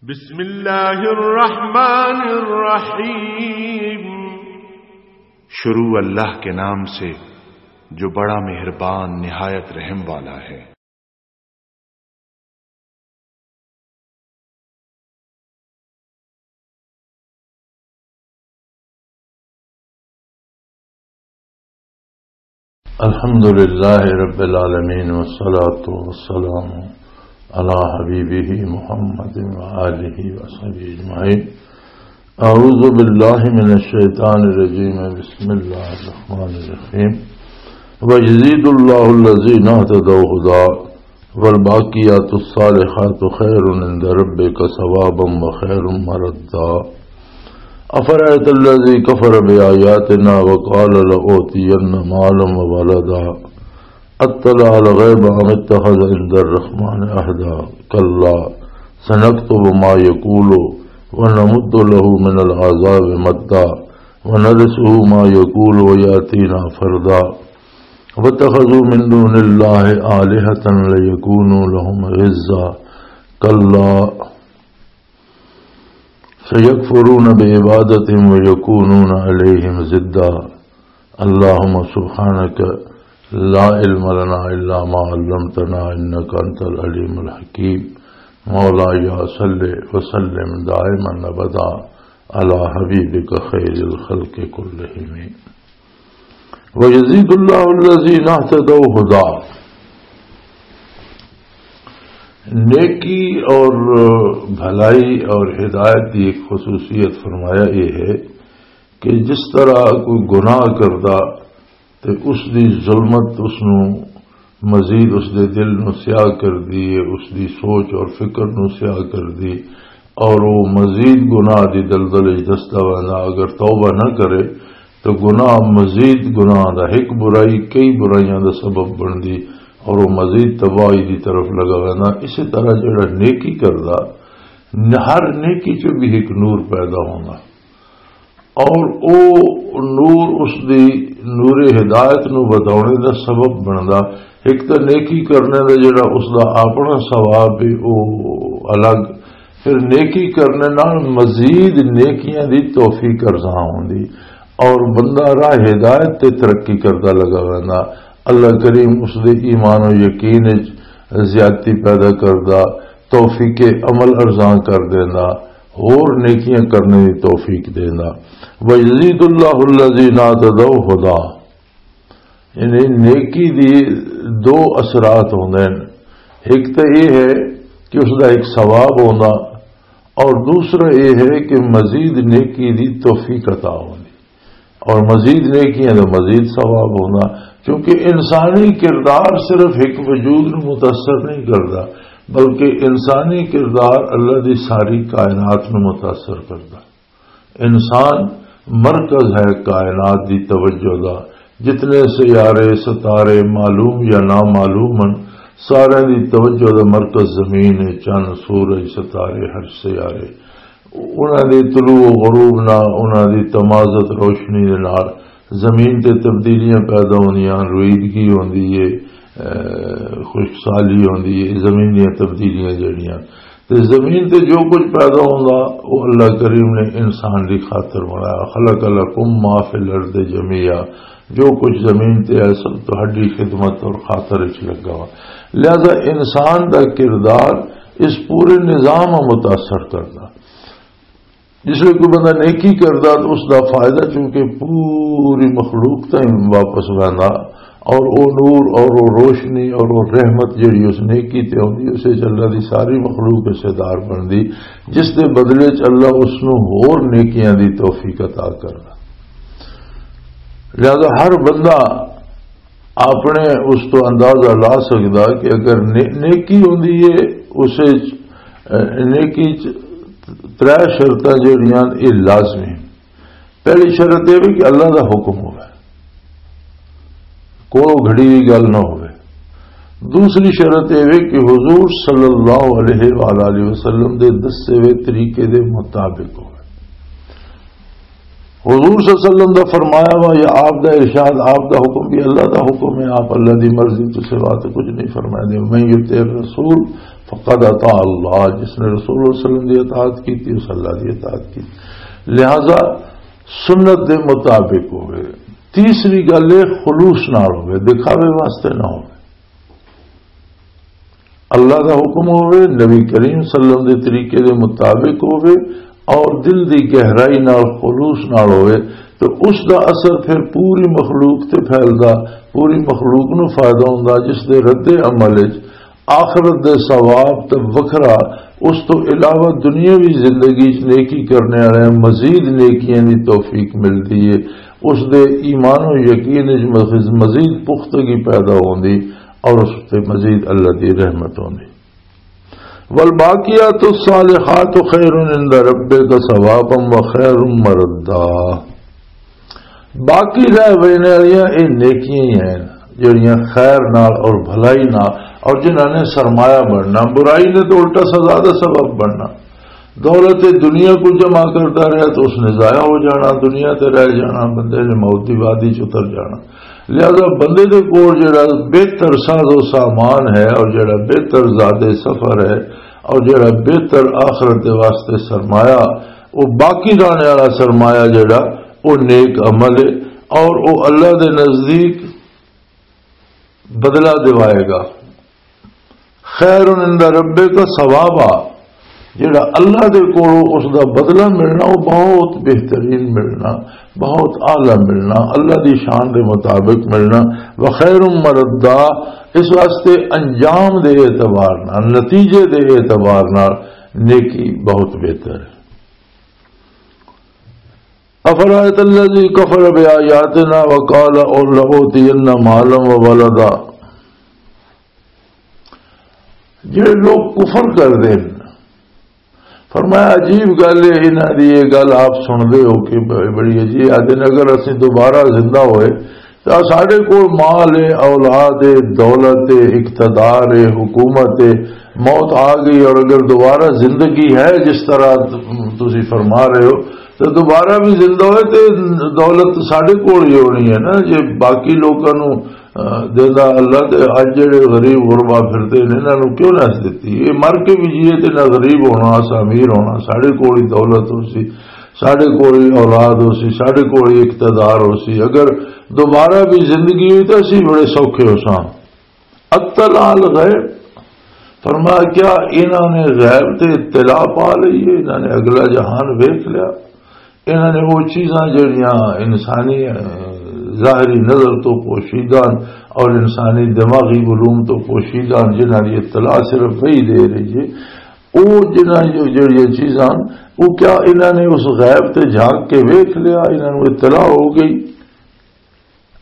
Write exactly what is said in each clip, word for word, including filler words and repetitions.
بسم اللہ الرحمن الرحیم۔ شروع اللہ کے نام سے، جو بڑا مہربان، نہایت رحم والا ہے۔ الحمد لله رب العالمين، والصلاة والسلام على حبيبه محمد وآله وصحبه أجمعين. أعوذ بالله من الشيطان الرجيم. بسم الله الرحمن الرحيم. ويزيد الله الذين اهتدوا هدى، والباقيات الصالحات خير عند ربك ثوابا وخير مردا. أفرأيت الذي كفر بآياتنا وقال لأوتين مالا وولدا، أطلع الغيب أم اتخذ عند الرحمن عهدا؟ كلا، سنكتب ما يقول ونمد له من العذاب مدا، ونرثه ما يقول ويأتينا فردا. واتخذوا من دون الله آلهة ليكونوا لهم عزا. كلا، سيكفرون بعبادتهم ويكونون عليهم ضدا. اللهم سبحانك لا علم لنا إلا ما علمتنا إنك أنت العليم الحكيم. مولاي صل وسلم دائما أبدا على حبيبك خير الخلق كلهم. وَيَزِيدُ اللَّهُ الَّذِينَ اهْتَدَوْا هُدًى۔ نیکی اور بھلائی اور ہدایت کی ایک خصوصیت فرمایا یہ ہے کہ جس طرح کوئی گناہ کردا تے اس دی ظلمت اس نو مزید اس دے دل نو سیاہ کر دی ہے، اس دی سوچ اور فکر نو سیاہ کر دی، اور وہ مزید گناہ دی دلدل وچ دسدا ویندا۔ اگر توبہ نہ کرے تو گناہ مزید گناہ دا، ایک برائی کئی برائیاں دا سبب بندی، اور وہ مزید تباہی دی طرف لگا ویندا۔ اسی طرح جڑا نیکی کردا، ہر نیکی چ بھی ایک نور پیدا ہوندا۔ اور او نور اس دی نور ہدایت نو ودھاونے دا سبب بندا۔ ایک تے نیکی کرنے دا جڑا اس دا اپنا ثواب ہے او الگ، پھر نیکی کرنے نال مزید نیکیاں دی توفیق ارزاں ہوندی اور بندہ راہ ہدایت تے ترقی کردا لگا ویندا۔ اللہ کریم اس دے ایمان و یقین وچ زیادتی پیدا کردا، توفیق عمل ارزاں کر دیندا، ہور نیکیاں کرنے دی توفیق دیندا۔ وَيَزِيدُ اللَّهُ الَّذِينَ اهْتَدَوْا هُدًى۔ یعنی نیکی دی دو اثرات ہوندے ہیں۔ ایک تو یہ ہے کہ اس دا ایک ثواب ہوندا، اور دوسرا یہ ہے کہ مزید نیکی دی توفیق عطا ہوندی۔ اور مزید نیکیاں دا مزید ثواب ہونا، کیونکہ انسانی کردار صرف ایک وجود نو متاثر نہیں کردا، بلکہ انسانی کردار اللہ دی ساری کائنات نو متاثر کردا۔ انسان مرکز ہے کائنات دی توجہ دا۔ جتنے سیارے، ستارے معلوم یا نامعلوم ہن، سارے دی توجہ دا مرکز زمین ہے، چند، سورج، ستارے، ہر سیارے۔ انہاں دے طلوع و غروب نال، انہاں دی تمازت روشنی دے نال زمین تے تبدیلیاں پیدا ہوندیاں، رویدگی ہوندی ہے، اے، خشک سالی ہوندی ہے، زمین دیاں تبدیلیاں جڑیاں۔ تے زمین تے جو کچھ پیدا ہوندا، او اللہ کریم نے انسان دی خاطر بنایا۔ خلق لکم ما فی الارض جمیعا، جو کچھ زمین تے ہے سب تہاڈی خدمت اور خاطر وچ لگا ہوا۔ لہذا انسان دا کردار اس پورے نظام متاثر کردا۔ جس ویلے کوئی بندہ نیکی کردا تو اس دا فائدہ چونکہ پوری مخلوق تائیں واپس ویندا، اور او نور اور او روشنی اور او رحمت جڑی اس نیکی تے ہوندی، اسے چ اللہ دی ساری مخلوق حصے دار بندی، جس دے بدلے چ اللہ اس نو ہور نیکیاں دی توفیق عطا کردا۔ لہذا ہر بندہ اپنے اس تو اندازہ لا سکدا کہ اگر نے-، نیکی ہوندی ہے، اس وچ، اے، نیکی چ ترے شرطاں جڑیاں، یہ لازمی۔ پہلی شرط یہ بھی کہ اللہ دا حکم ہوئے، کوئی گھڑی ہوئی گل نہ ہوئے۔ دوسری شرط یہ بھی کہ حضور صلی اللہ علیہ وآلہ وسلم دے دسے ہوئے طریقے دے مطابق ہوئے۔ حضور صلی اللہ علیہ وسلم دا فرمایا وا یا آپ دا ارشاد، آپ دا حکم بھی اللہ دا حکم ہے، آپ اللہ دی مرضی تو سوا تو کچھ نہیں فرمائے دے۔ من یطع الرسول فقد اطاع اللہ، جس نے رسول اللہ صلی اللہ علیہ وسلم دی اطاعت کی تھی، اس اللہ دی اطاعت کی۔ لہذا سنت دے مطابق ہوئے۔ تیسری گل ہے خلوص نال ہوئے، دکھاوے واسطے نہ ہوئے۔ اللہ دا حکم ہوئے، نبی کریم صلی اللہ علیہ وسلم دے طریقے دے مطابق ہوئے اور دل دی گہرائی نال، خلوص نال ہوئے، تو اس دا اثر پھر پوری مخلوق تے پھیلدا، پوری مخلوق نوں فائدہ ہوندا، جس دے رد عمل وچ آخرت دے ثواب تے وکھرا، اس تو علاوہ دنیاوی زندگی وچ نیکی کرنے والے مزید نیکیاں دی توفیق ملدی ہے۔ اس دے ایمان و یقین وچ مز-، مزید پختگی پیدا ہوندی اور اس تے مزید اللہ دی رحمت ہوندی۔ والباقیات الصالحات خیر عند ربک ثوابا وخیر مردا۔ باقی رہ وینے والیاں اے نیکیاں ہی ہیں، جڑیاں خیر نال اور بھلائی نال، اور جنہاں نے سرمایہ بننا، برائی نے تو الٹا سزا دا سبب بننا۔ دولت دنیا کو جمع کرتا رہا تو اس نے ضائع ہو جانا، دنیا تے رہ جانا، بندے نے موت دی وادی چ اتر جانا۔ لہذا بندے دے کول جڑا بہتر ساز و سامان ہے اور جڑا بہتر زاد سفر ہے اور جڑا بہتر آخرت دے واسطے سرمایہ، وہ باقی رہنے والا سرمایہ جڑا، وہ نیک عمل ہے اور وہ اللہ دے نزدیک بدلہ دیوائے گا۔ خیر عند ربک ثوابا، جڑا اللہ دے کولوں اس دا بدلہ ملنا، وہ بہت بہترین ملنا، بہت اعلیٰ ملنا، اللہ دی شان دے مطابق ملنا۔ وخیر مردا، اس واسطے انجام دے اعتبار نال، نتیجے دے اعتبار نال نیکی بہت بہتر ہے۔ افرأیت الذی کفر بآیاتنا وقال لأوتین مالا وولدا۔ جڑے لوگ کفر کر دے نے، فرمایا، عجیب گل ہے، انہاں دی یہ گل آپ سن دے ہو کہ ب-، بڑی عجیب۔ آدھے نے، اگر اسی دوبارہ زندہ ہوئے تو ساڈے کول مال ہے، اولاد ہے، دولت ہے، اقتدار ہے، حکومت ہے، موت آ گئی اور اگر دوبارہ زندگی ہے جس طرح ت-، تسی فرما رہے ہو، تو دوبارہ بھی زندہ ہوئے تے دولت ساڈے کول ہی ہونی ہے نا۔ جے باقی لوکاں نوں، آ، دیندا اللہ، تے اج جڑے غریب غربا پھردے نے، انہاں نوں کیوں نہ دتی؟ یہ مر کے بھی جیے تے نہ غریب ہونا، اساں امیر ہونا، ساڈے کول ہی دولت ہو سی، ساڈے کول ہی اولاد ہو سی، ساڈے کول ہی اقتدار ہو سی۔ اگر دوبارہ بھی زندگی ہوئی تو اسی بڑے سوکھے ہو ساں۔ اطلع الغیب، فرمایا، کیا انہاں نے غیب تے اطلاع پا لئی ہے؟ انہاں نے اگلا جہان ویکھ لیا؟ انہاں نے وہ چیزاں جڑیاں انسانی، اہ، ظاہری نظر تو پوشیدہ ہن اور انسانی دماغی علوم تو پوشیدہ ہن، جنہاں دی اطلاع صرف وہی دے رہی ہے، وہ جنہاں جو جڑیاں چیزاں ہن، وہ کیا انہاں نے اس غیب تے جھانک کے ویکھ لیا؟ انہاں نوں اطلاع ہو گئی؟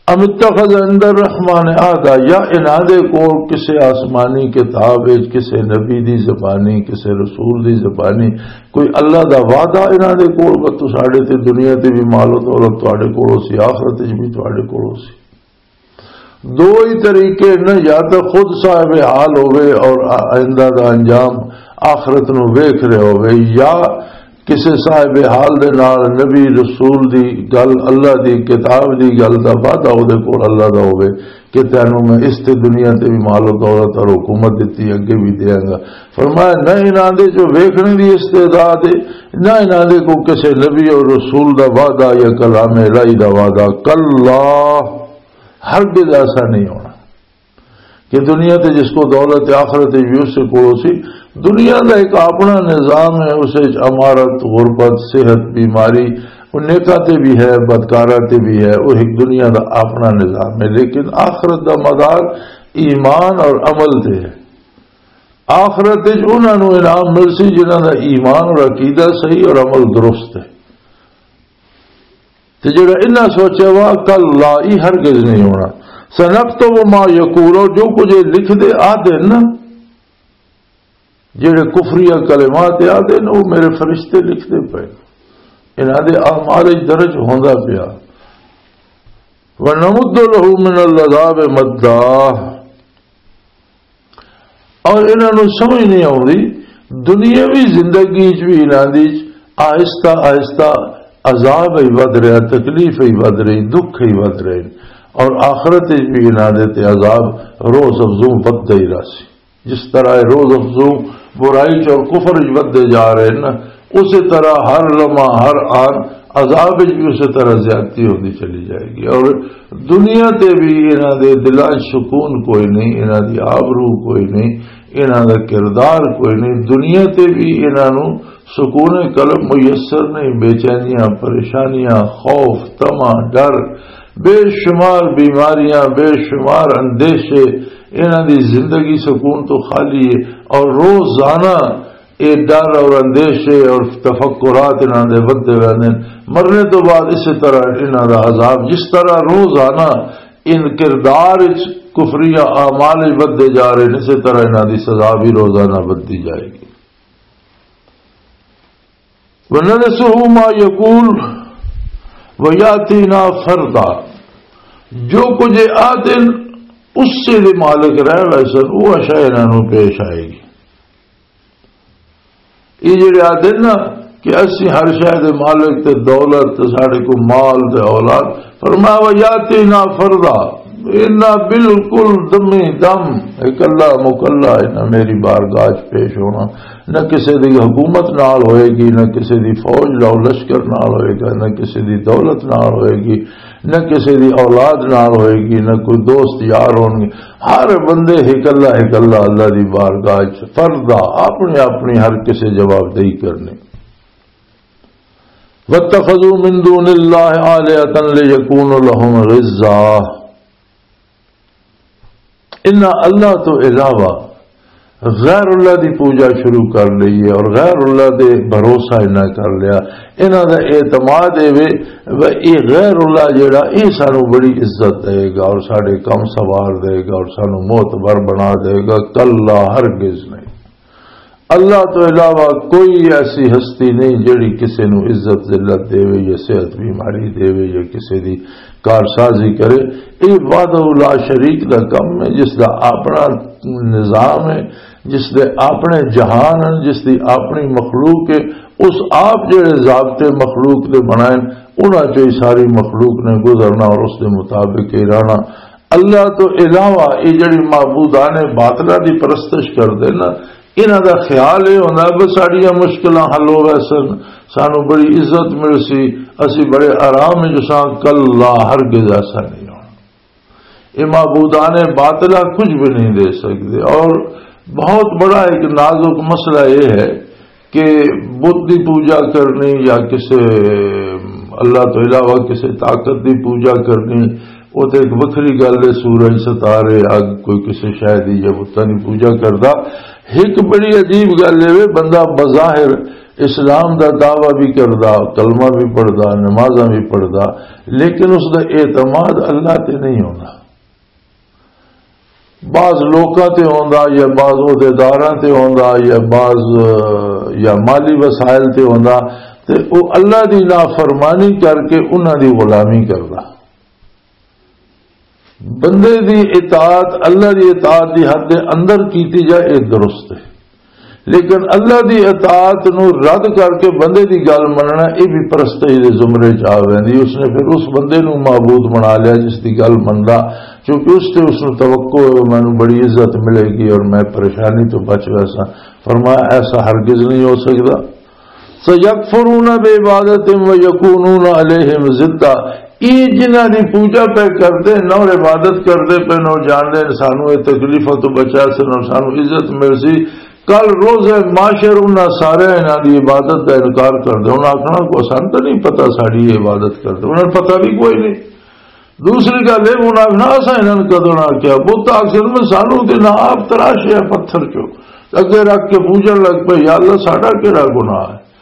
ام اتخذ عند الرحمن عہدا، یا انہاں دے کول کسے آسمانی کتاب وچ، کسے نبی دی زبانی، کسے رسول دی زبانی کوئی اللہ دا وعدہ انہاں دے کول، بس تو ساڈے تے دنیا تے بھی مال و دولت تواڈے کول ہو سی، آخرت وچ بھی تواڈے کول ہو سی۔ دو ہی طریقے نے، یا تو خود صاحب حال ہوئے اور آ-، آئندہ دا انجام آخرت نو ویکھ رہے ہوئے، یا کسے صاحب حال دے نال نبی رسول دی گل، اللہ دی کتاب دی گل دا وعدہ او دے کول اللہ دا ہوے کہ تینوں میں اس تے دنیا تے بھی مال و دولت اور حکومت دتی، اگے بھی دیاں گا۔ فرمایا، نہ انہاں دے جو ویکھنے دی استعداد ہے، نہ انہاں دے کو کسے نبی اور رسول دا وعدہ یا کلام الہی دا وعدہ۔ کلا، ہرگز ایسا نہیں ہونا۔ کہ دنیا تے جس کو دولت آخرت وچ بھی اس سے کولو سی، دنیا دا ایک اپنا نظام ہے، اس وچ امارت، غربت، صحت، بیماری، وہ نیکاں تے بھی ہے، بدکاراں تے بھی ہے، وہ ایک دنیا دا اپنا نظام ہے۔ لیکن آخرت دا مدار ایمان اور عمل تے ہے۔ آخرت وچ انہاں نوں انعام مل سی جنہاں دا ایمان اور عقیدہ صحیح اور عمل درست ہے۔ تے جڑا انہاں سوچیا وا، کلا، ای ہرگز نہیں ہونا۔ سنکتب ما یقول، جو کچھ یہ لکھ دے آ دے نا، جڑے کفریہ کلمات آ دے نا، وہ میرے فرشتے لکھ دے پے، انہاں دے اعمال وچ درج ہوندا پیا۔ ونمد له من العذاب مدا، اور انہاں نوں سمجھ نہیں آوندی، دنیاوی زندگی وچ بھی انہاں دی آہستہ آہستہ عذاب ہی ودھ رہا، تکلیف ہی ودھ رہی، دکھ ہی ودھ رہے، اور آخرت وچ بھی انہاں دے تے عذاب روز افزوں ودھدا ہی رہسی۔ جس طرح اے روز افزوں برائی چ اور کفر وچ ودھدے جا رہے ہیں نا، اسی طرح ہر لمحہ، ہر آن عذاب وچ بھی اسی طرح زیادتی ہوندی چلی جائے گی۔ اور دنیا تے بھی انہاں دے دلاں 'چ سکون کوئی نہیں، انہاں دی آبرو کوئی نہیں، انہاں دا کردار کوئی نہیں۔ دنیا تے بھی انہاں نوں سکون قلب میسر نہیں، بے چینیاں، پریشانیاں، خوف، طمع، ڈر، بے شمار بیماریاں، بے شمار اندیشے، انہاں دی زندگی سکون تو خالی ہے۔ اور روزانہ اے ڈر اور اندیشے اور تفکرات انہاں دے ودھدے رہندے نے۔ مرنے تو بعد اسی طرح انہاں دا عذاب، جس طرح روزانہ ان کردار وچ کفریہ اعمال وچ ودھدے جا رہے نے، اسی طرح انہاں دی سزا بھی روزانہ ودھدی جائے گی۔ وَنَنَسُهُ مَا يَقُولُ وَيَأْتِينَا فَرْدًا۔ جو کچھ یہ آتے ہیں، اس سے دے مالک رہ ویسن، وہ اشیاء انہاں نوں پیش آئے گی۔ یہ جڑے آتے ہیں نا کہ اسی ہر شے دے مالک تے دولت تے ساڈے کو مال تے اولاد، فرمایا، "وَيَأْتِينَا فَرْدًا، انہاں بالکل دمی دم، اکلا مکلا انہاں میری بارگاہ چ پیش ہونا۔" نہ کسے دی حکومت نال ہوئے گی، نہ کسے دی فوج نال، لشکر نال ہوئے گا، نہ کسے دی دولت نال ہوئے گی، نہ کسے دی اولاد نال ہوئے گی، نہ کوئی دوست یار ہون گے۔ ہر بندے ہک اللہ، ہک اللہ اللہ دی بارگاہ چ فردا اپنی اپنی ہر کسے جوابدہی کرنی۔ وَاتَّخَذُوا مِن دُونِ اللَّهِ آلِهَةً لِيَكُونُوا لَهُمْ عِزًّا۔ انہاں اللہ تو علاوہ غیر اللہ دی پوجا شروع کر لئی ہے اور غیر اللہ دے بھروسہ انہاں کر لیا۔ انہاں دا اعتماد اے وے، وے اے غیر اللہ جڑا، اے سانو بڑی عزت دے گا اور ساڈے کم سوار دے گا اور سانو معتبر بنا دے گا۔ کلا، ہرگز نہیں۔ اللہ تو علاوہ کوئی ایسی ہستی نہیں جڑی کسے نو عزت ذلت دے وے یا صحت بیماری دے وے یا کسے دی کارسازی کرے۔ یہ وحدہ لا شریک دا کم ہے، جس دا اپنا نظام ہے، جس دے اپنے جہان ہیں، جس دی اپنی مخلوق ہے۔ اس آپ جڑے ضابطے مخلوق دے بنائے، انہاں چوں ہی ساری مخلوق نے گزرنا اور اس دے مطابق ہی رہنا۔ اللہ تو علاوہ یہ جڑی معبودان باطلہ دی پرستش کردے نا، انہاں دا خیال یہ ہونا بس ساڈیاں مشکلاں حل ہو ویسن، سانو بڑی عزت مل سی، اسی بڑے آرام وچ ساں۔ کلا، ہرگز ایسا نہیں ہونا۔ یہ معبودان باطلہ کچھ بھی نہیں دے سکتے۔ اور بہت بڑا ایک نازک مسئلہ یہ ہے کہ بت دی پوجا کرنی یا کسے اللہ تو علاوہ کسے طاقت دی پوجا کرنی، وہ تے ایک وکھری گل ہے۔ سورج، ستارے، اگ، کوئی کسے شے دی یا بتاں دی پوجا کردا۔ ایک بڑی عجیب گل ہے، بندہ بظاہر اسلام دا دعویٰ بھی کردا، کلمہ بھی پڑھدا، نمازاں بھی پڑھدا، لیکن اس دا اعتماد اللہ تے نہیں ہوندا۔ بعض لوکاں تے ہوندا یا بعض عہدیداراں تے ہوندا یا بعض، اہ، یا مالی وسائل تے ہوندا، تے او اللہ دی نافرمانی کر کے انہاں دی غلامی کردا۔ بندے دی اطاعت، اللہ دی اطاعت دی حد دے اندر کیتی جائے، اے درست ہے۔ لیکن اللہ دی اطاعت نو رد کر کے بندے دی گل مننا، اے بھی پرستش دے زمرے چ آ ویندی۔ اس نے پھر اس بندے نو معبود بنا لیا جس دی گل مندا، کیونکہ اس تے اس نو توقع ہے، "مینوں بڑی عزت ملے گی اور میں پریشانی تو بچ ویساں۔" فرمایا، ایسا ہرگز نہیں ہو سکدا۔ سَيَكْفُرُونَ بِعِبَادَتِهِمْ وَيَكُونُونَ عَلَيْهِمْ ضِدًّا۔ یہ جنہاں دی پوجا پہ کردے نہ اور عبادت کردے پہ نہ، جاندے نے سانو یہ تکلیفاں تو بچا سن اور سانو عزت مل سی۔ کل روز محشر انہاں سارے انہاں دی عبادت دا انکار کردے۔ انہاں آکھنا، "کو سانو تو نہیں پتہ ساڈی یہ عبادت کردے۔" انہاں نوں پتہ بھی کوئی نہیں۔ دوسری گل اے، انہاں آکھنا، "اساں انہاں نوں کدوں نہ آکھیا۔" بت آکھ سن، "میں سانو تے نہ آپ تراشے پتھر چوں، اگے رکھ کے پوجن لگ پئے، یا اللہ، ساڈا کیڑا گناہ ہے؟"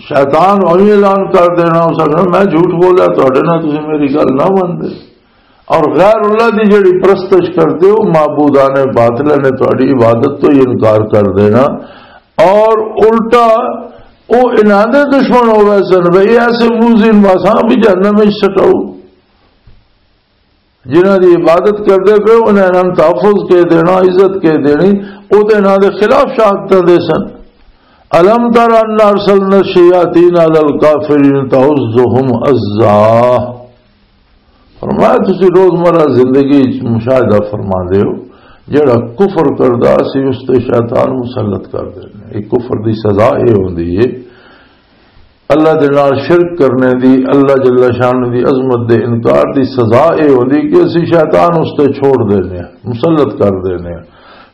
شیطان اوہی اعلان کر دینا، اس آکھنا، "میں جھوٹ بولیا تہاڈے نال، تسی میری گل نہ مندے۔" اور غیر اللہ دی جڑی پرستش کردے ہو، معبودان باطلہ نے تہاڈی عبادت تو ہی انکار کر دینا۔ اور الٹا او انہاں دے دشمن ہو گئے سن، بھئی ایسے موذین واساں بھی جہنم وچ سٹاؤ۔ جنہاں دی عبادت کردے پئے ہو، انہاں نوں تحفظ کے دینا، عزت کے دینی، او تے انہاں دے خلاف شہادتاں دے سن۔ الم تر ان ارسلنا الشیاطین علی الکافرین تؤزهم ازا۔ فرمایا، تسی روزمرہ زندگی وچ مشاہدہ فرما دے ہو، جڑا کفر کردا، اسی اس تے شیطان مسلط کر دینے۔ یہ کفر دی سزا یہ ہوندی ہے، اللہ دے نال شرک کرنے دی، اللہ جل شانہ دی عظمت دے انکار دی سزا یہ ہوندی کہ اسی شیطان اس تے چھوڑ دینے، مسلط کر دینے۔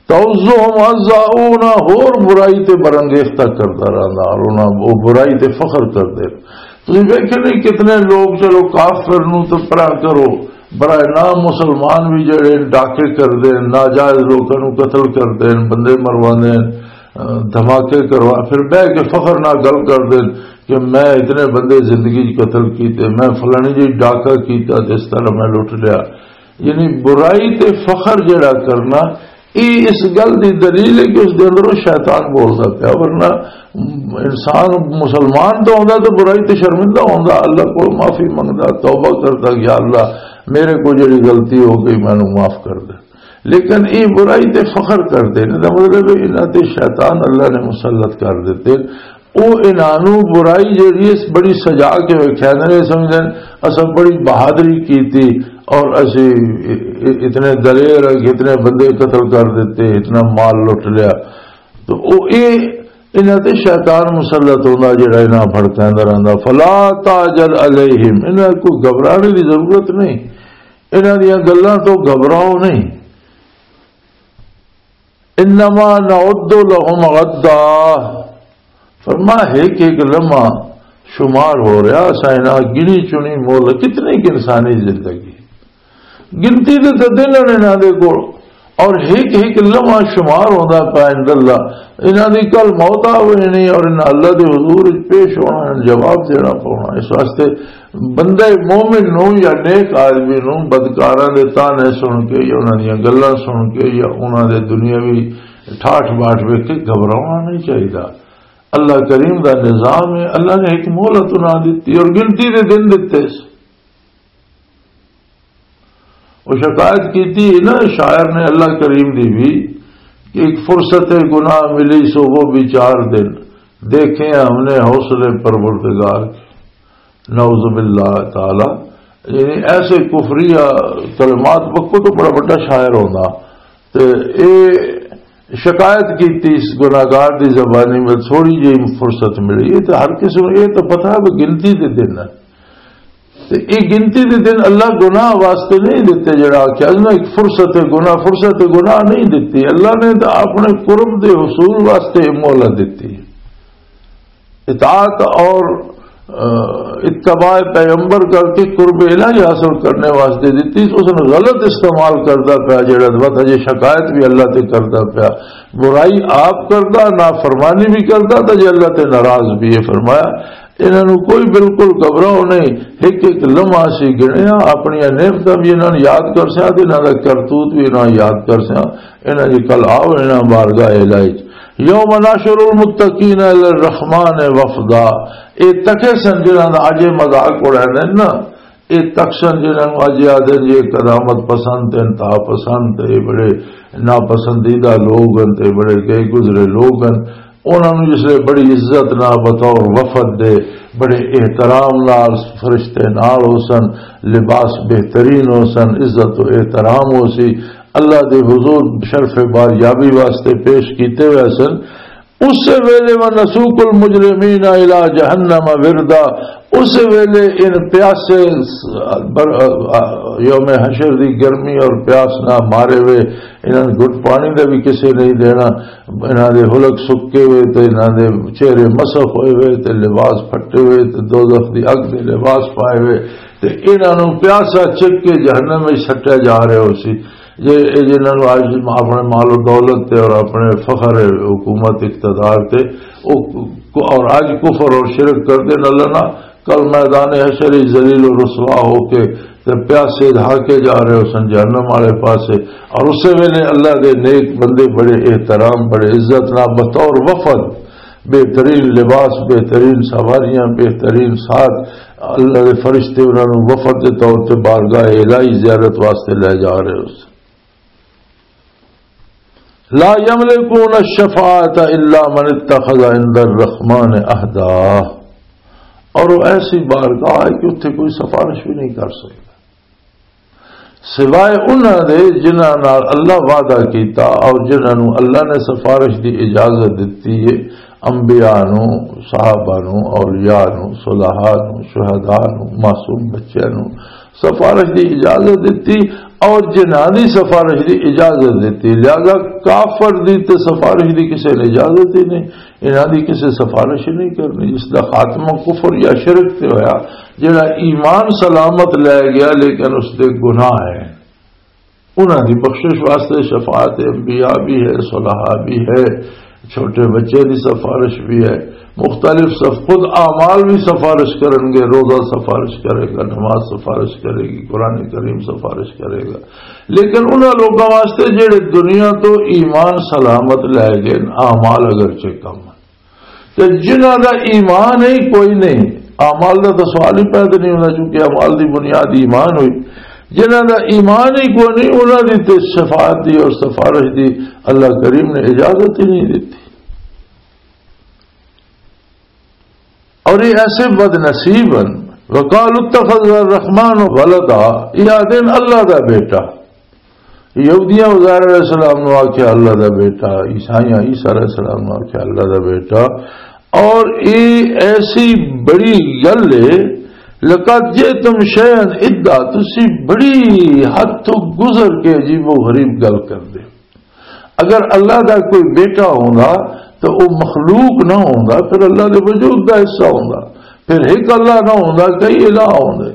تؤزهم ازا، او انہاں ہور برائی تے برانگیختہ کردا رہندا، اور انہاں او برائی تے فخر کردے۔ تسی ویکھے نہیں، کتنے لوگ، چلو، کافر نوں تے پرا کرو، برائے نام مسلمان بھی جڑے ڈاکے کردے، ناجائز لوکاں نوں قتل کردے، بندے مرواندے، دھماکے کروا، پھر بہ کے فخر نال گل کردے کہ میں اتنے بندے زندگی چ قتل کیتے، میں فلانی جی ڈاکہ کیتا تے اس طرح میں لٹ لیا۔ یعنی برائی تے فخر جڑا کرنا، یہ اس گل دی دلیل ہے کہ اس دے اندر وہ شیطان بولدا پیا، ورنہ انسان مسلمان تو ہوندا تو برائی تے شرمندہ ہوندا، اللہ کو معافی منگدا، توبہ کردا کہ یا اللہ، میرے کو جڑی غلطی ہو گئی، مینوں معاف کر دے۔ لیکن یہ برائی تے فخر کردے نے، دا مطلب ہے انہاں تے شیطان اللہ نے مسلط کر دیتے۔ او انہاں نوں برائی جڑی اس بڑی سجا کے ویکھیا نے، سمجھدے نے اساں بڑی بہادری کیتی اور اسی اتنے دلیر ہیں کہ اتنے بندے قتل کر دیتے، اتنا مال لٹ لیا۔ تو او اے انہاں تے شیطان مسلط ہوندا، جڑا انہاں بھڑکاوندا رہندا۔ فلا تعجل علیہم، انہاں کو گھبرانے دی ضرورت نہیں، انہاں دیاں گلاں تو گھبراؤ نہیں۔ انما نعد لهم عدا۔ فرما، ایک ایک لمحہ شمار ہو رہا، اساں انہاں گنی چنی مول، کتنی کہ انسانی زندگی، گنتی دے تے دن نے انہاں دے کول، اور ایک ایک لمحہ شمار ہوندا پیا عند اللہ۔ انہاں دی کل موت آ ہونی اور انہاں اللہ دے حضور وچ پیش ہونا، جواب دینا پونا۔ اس واسطے بندہ مومن نو یا نیک آدمی نو بدکاراں دے تانے سن کے یا انہاں دیاں گلاں سن کے یا انہاں دے دنیاوی ٹھاٹھ باٹھ ویکھ کے گھبرانا نہیں چاہیدا۔ اللہ کریم دا نظام ہے، اللہ نے ایک مہلت انہاں دتی اور گنتی دے دن دتے۔ وہ شکایت کیتی نا شاعر نے اللہ کریم دی بھی کہ ایک فرصت گناہ ملی سو وہ بھی چار دن، دیکھے ہم نے حوصلے پروردگار کے۔ نعوذ باللہ تعالی، یعنی ایسے کفریہ کلمات، وقت تو بڑا بڑا شاعر ہونا، تے اے شکایت کیتی اس گناہگار دی زبانی میں، تھوڑی جہی فرصت ملی۔ یہ تو ہر کسی نوں یہ تو پتہ ہے وہ گنتی دے دن ہے۔ تے یہ گنتی دے دن اللہ گناہ واسطے نہیں دیتے، جڑا آخیا نا ایک فرصت گناہ، فرصت گناہ نہیں دیتی۔ اللہ نے تو اپنے قرب دے حصول واسطے مہلت دیتی۔ اطاعت اور، آ، اتباع پیغمبر کر کے قرب الہی حاصل کرنے واسطے دتی، اس نے غلط استعمال کردا پیا، جڑا وقت اجے شکایت بھی اللہ تے کردا پیا، برائی آپ کردا، نافرمانی بھی کردا، تے جے اللہ تے ناراض بھی ہے۔ فرمایا، انہاں نوں کوئی بالکل گھبراؤ نہیں، ایک ایک لمحہ سی گنیا، اپنی نعمتاں بھی انہاں نوں یاد کر سیا، تے انہاں دا کرتوت بھی انہاں نوں یاد کر سیا۔ انہاں دی کل آؤ، انہاں بارگاہ الہی چ۔ یوم نحشر المتقین الی الرحمن وفدا۔ اے تکے سن جنہاں دا اج اے مذاق اڑاندے نا، اے تک سن جنہاں نوں اج آدھے جے قدامت پسند تے انتہا پسند تے بڑے ناپسندیدہ لوگ ہن تے بڑے گئے گزرے لوگ ہن، انہاں نوں جس لے بڑی عزت نال بطور وفد دے، بڑے احترام نال فرشتے نال ہو سن، لباس بہترین ہو سن، عزت و احترام ہو سی، اللہ دے حضور شرف باریابی واسطے پیش کیتے ہوئے سن۔ اس ویلے، "ونسوق المجرمین الی جہنم وردا"، اس ویلے ان پیاسے بر-، یوم حشر دی گرمی اور پیاس نہ مارے ہوئے، انہاں نوں گھٹ پانی دا بھی کسے نہیں دینا، انہاں دے حلق سکے ہوئے تے انہاں دے چہرے مسخ ہوئے ہوئے تے لباس پھٹے ہوئے تے دوزخ دی اگ دے لباس پائے ہوئے تے انہاں نوں پیاسا چک کے جہنم وچ سٹیا جا رہا ہو سی۔ جے اے جنہاں نوں اج اپنے مال و دولت تے اور اپنے فخر حکومت اقتدار تے او، اور اج کفر اور شرک کردے نال نہ، کل میدان حشر وچ ذلیل و رسوا ہو کے تے پیاسے دھاکے جا رہے ہو سن جہنم والے پاسے۔ اور اسے ویلے اللہ دے نیک بندے بڑے احترام، بڑے عزت نال بطور وفد، بہترین لباس، بہترین سواریاں، بہترین ساتھ، اللہ دے فرشتے انہاں نوں وفد دے طور تے بارگاہ الہی زیارت واسطے لے جا رہے ہو سن۔ لا یملکون الشفاعت الا من اتخذ عند الرحمن عہدا۔ اور وہ ایسی بارگاہ ہے کہ اتھے کوئی سفارش بھی نہیں کر سکتا سوائے انہاں دے جنہاں نال اللہ وعدہ کیتا اور جنہاں نوں اللہ نے سفارش دی اجازت دتی ہے، انبیاء نوں، صحابہ نوں، اولیاء نوں، صلحاء نوں، شہداء نوں، معصوم بچیاں نوں سفارش دی اجازت دتی اور جنہاں دی سفارش دی اجازت دتی۔ لہذا کافر دی تے سفارش دی کسے نے اجازت ہی نہیں، انہاں دی کسے سفارش ہی نہیں کرنی۔ جس دا خاتمہ کفر یا شرک تے ہویا، جڑا ایمان سلامت لے گیا لیکن اس دے گناہ ہیں، انہاں دی بخشش واسطے شفاعت انبیاء بھی ہے، صلحاء بھی ہے، چھوٹے بچے دی سفارش بھی ہے، مختلف صف خود اعمال بھی سفارش کرن گے، روزہ سفارش کرے گا، نماز سفارش کرے گی، قرآن کریم سفارش کرے گا۔ لیکن انہاں لوکاں واسطے جڑے دنیا تو ایمان سلامت لے گئے، اعمال اگرچہ کم ہیں، تے جنہاں دا ایمان ہی کوئی نہیں، اعمال دا تو سوال ہی پیدا نہیں ہونا، چونکہ اعمال دی بنیاد ایمان ہوئی۔ جنہاں دا ایمان ہی کوئی نہیں، انہاں دی تے شفاعت دی اور سفارش دی اللہ کریم نے اجازت ہی نہیں دیتی۔ اور یہ ایسے بد نصیب ہیں، وقالوا اتخذ الرحمن ولدا، یہ آدھے نے اللہ دا بیٹا۔ یہودیاں عزیر علیہ السلام نو آکھیا اللہ دا بیٹا، عیسائیاں عیسیٰ علیہ السلام نو آکھیا اللہ دا بیٹا۔ اور یہ ایسی بڑی گل ہے، لقد جئتم شیئا ادا، تسی بڑی حد تو گزر کے عجیب و غریب گل کر دے۔ اگر اللہ دا کوئی بیٹا ہوندا تو وہ مخلوق نہ ہوندا، پھر اللہ دے وجود دا حصہ ہوندا، پھر ایک اللہ نہ ہوندا، کئی الہ ہوندے۔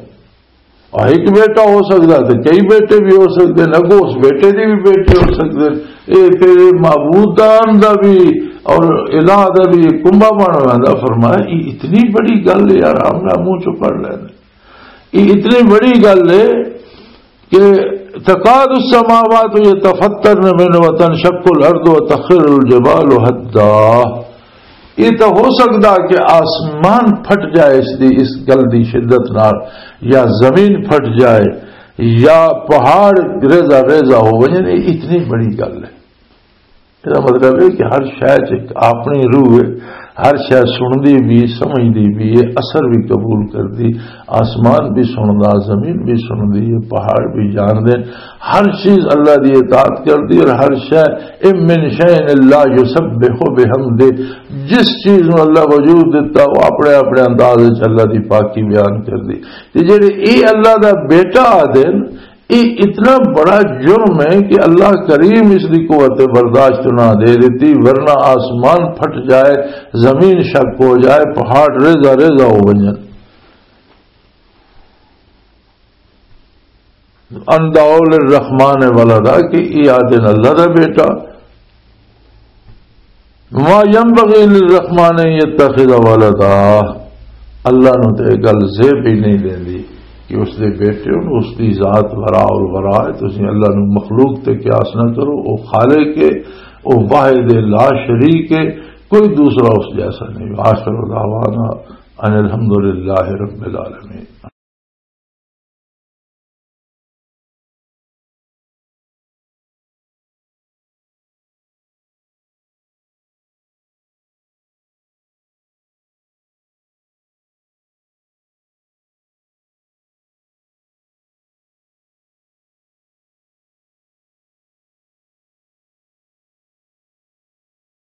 اور ایک بیٹا ہو سکدا تے کئی بیٹے بھی ہو سکدے نے، اگوں اس بیٹے دے بھی بیٹے ہو سکدے نے۔ اے تیرے معبودان دا بھی اور الہ دا بھی کنبہ بن ویندا۔ فرمایا، یہ اتنی بڑی گل ہے یار، ہم نہ منہ چوں پڑھ لینے۔ یہ اتنی بڑی گل ہے کہ تکاد السماوات یتفطرن منہ وتنشق الارض وتخر الجبال ہدا۔ یہ تو ہو سکدا کہ آسمان پھٹ جائے اس دی، اس گل دی شدت نال، یا زمین پھٹ جائے، یا پہاڑ ریزہ ریزہ ہو ونجن۔ یہ اتنی بڑی گل ہے۔ یہ مطلب ہے کہ ہر شے چ ایک اپنی روح ہے، ہر شے سنتی بھی، سمجھتی بھی ہے، اثر بھی قبول کرتی۔ آسمان بھی سندا، زمین بھی سنتی ہے، پہاڑ بھی جاندے، ہر چیز اللہ دی اطاعت کردی اور ہر شے، "ان من شیء الا یسبح بحمدہ"، جس چیز نو اللہ وجود دتا، وہ اپنے اپنے انداز وچ اللہ دی پاکی بیان کردی۔ تے جڑے اے اللہ دا بیٹا آدھے نے، یہ اتنا بڑا جرم ہے کہ اللہ کریم اس دی قوت برداشت نہ دے دیتی، ورنہ آسمان پھٹ جائے، زمین شک ہو جائے، پہاڑ ریزہ ریزہ ہو ونجن۔ ان دعوا للرحمن ولدا، کہ یہ آدھے نے اللہ دا بیٹا۔ ما ينبغي للرحمن ان يتخذ ولدا۔ اللہ نو تے یہ گل زیب ہی نہیں دیندی کہ اس دے بیٹے ہون، اس دی ذات ورا الورا ہے۔ تسی اللہ نو مخلوق تے قیاس نہ کرو، او خالق ہے، او واحد لا شریک ہے، کوئی دوسرا اس جیسا نہیں۔ آخر دعوانا ان الحمد للہ رب العالمین۔